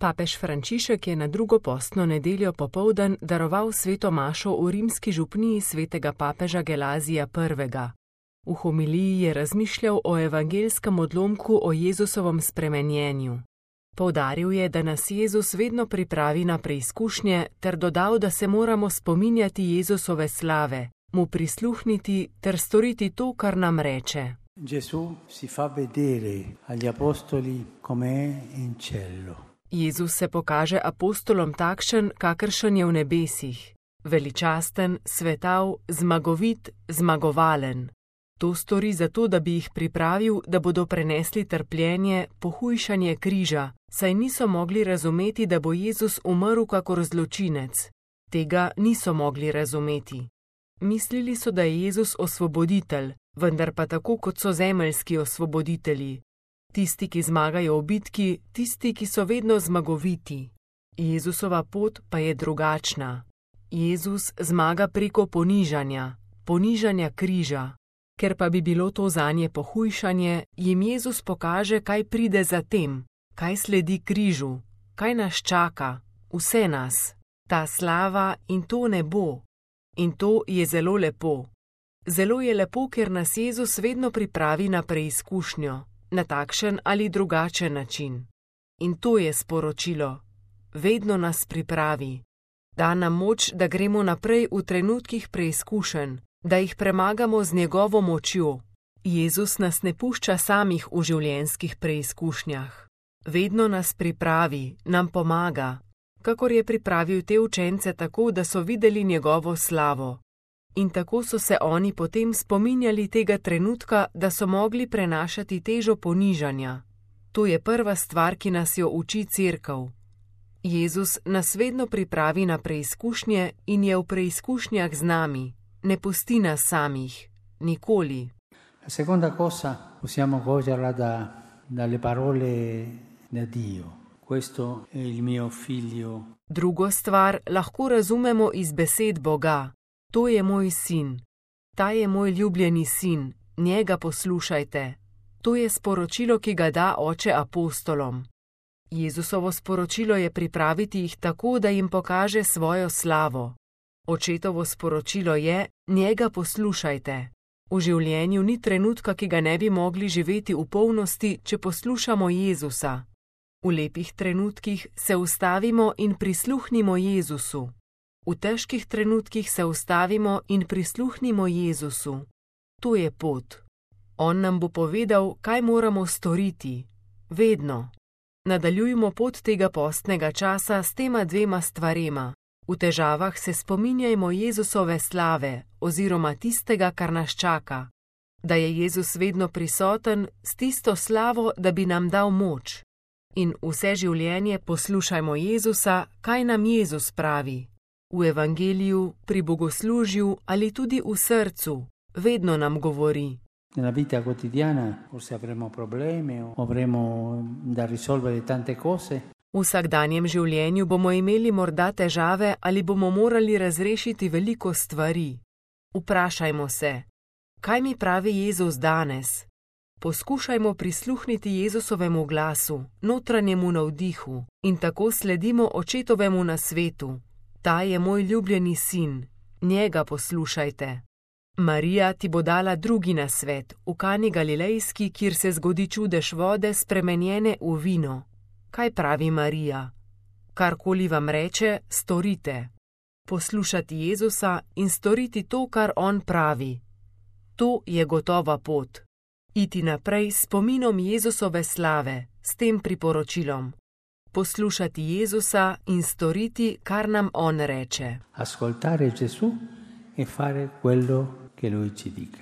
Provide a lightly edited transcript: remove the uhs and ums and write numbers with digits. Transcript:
Papež Frančišek je na drugo postno nedeljo popoldan daroval sveto mašo v rimski župniji svetega papeža Gelazija I. V homiliji je razmišljal o evangelskem odlomku o Jezusovem spremenjenju. Poudaril je, da nas Jezus vedno pripravi na preizkušnje, ter dodal, da se moramo spominjati Jezusove slave, mu prisluhniti ter storiti to, kar nam reče. Gesù si fa vedere agli apostoli come è in cielo. Jezus se pokaže apostolom takšen, kakršen je v nebesih, veličasten, svetav, zmagovit, zmagovalen. To stori zato, da bi jih pripravil, da bodo prenesli trpljenje, pohujšanje križa, saj niso mogli razumeti, da bo Jezus umrl kakor zločinec. Tega niso mogli razumeti. Mislili so, da je Jezus osvoboditelj, vendar pa tako, kot so zemeljski osvoboditelji. Tisti, ki zmagajo v bitki, tisti, ki so vedno zmagoviti. Jezusova pot pa je drugačna. Jezus zmaga preko ponižanja križa. Ker pa bi bilo to zanje pohujšanje, jim Jezus pokaže, kaj pride za tem, kaj sledi križu, kaj nas čaka, vse nas, ta slava in to nebo. In to je zelo lepo. Zelo je lepo, ker nas Jezus vedno pripravi na preizkušnjo, na takšen ali drugačen način. In to je sporočilo. Vedno nas pripravi. Da nam moč, da gremo naprej v trenutkih preizkušenj, da jih premagamo z njegovo močjo. Jezus nas ne pušča samih v življenjskih preizkušnjah. Vedno nas pripravi, nam pomaga, kakor je pripravil te učence tako, da so videli njegovo slavo. In tako so se oni potem spominjali tega trenutka, da so mogli prenašati težo ponižanja. To je prva stvar, ki nas jo uči Cerkev. Jezus nas vedno pripravi na preizkušnje in je v preizkušnjah z nami. Ne pusti nas samih, nikoli. La seconda cosa possiamo coglierla dalle parole da Dio. Questo è il mio figlio. Drugo stvar lahko razumemo iz besed Boga. To je moj sin. Ta je moj ljubljeni sin. Njega poslušajte. To je sporočilo, ki ga da Oče apostolom. Jezusovo sporočilo je pripraviti jih tako, da jim pokaže svojo slavo. Očetovo sporočilo je: njega poslušajte. V življenju ni trenutka, ki ga ne bi mogli živeti v polnosti, če poslušamo Jezusa. V lepih trenutkih se ustavimo in prisluhnimo Jezusu. V težkih trenutkih se ustavimo in prisluhnimo Jezusu. To je pot. On nam bo povedal, kaj moramo storiti. Vedno. Nadaljujmo pot tega postnega časa s tema dvema stvarema. V težavah se spominjajmo Jezusove slave oziroma tistega, kar nas čaka. Da je Jezus vedno prisoten s tisto slavo, da bi nam dal moč. In vse življenje poslušajmo Jezusa, kaj nam Jezus pravi. V evangeliju, pri bogoslužju ali tudi v srcu. Vedno nam govori. Nella vita quotidiana forse avremo problemi o avremo da risolvere tante cose. V vsakdanjem življenju bomo imeli morda težave ali bomo morali razrešiti veliko stvari. Vprašajmo se, kaj mi pravi Jezus danes? Poskušajmo prisluhniti Jezusovemu glasu, notranjemu navdihu in tako sledimo Očetovemu nasvetu. Ta je moj ljubljeni sin, njega poslušajte. Marija ti bo dala drugi nasvet, v Kani Galilejski, kjer se zgodi čudež vode spremenjene v vino. Kaj pravi Marija? Karkoli vam reče, storite. Poslušati Jezusa in storiti to, kar on pravi. To je gotova pot. Iti naprej s spominom Jezusove slave, s tem priporočilom. Poslušati Jezusa in storiti, kar nam on reče. Ascoltare Gesù e fare quello che lui ci dica.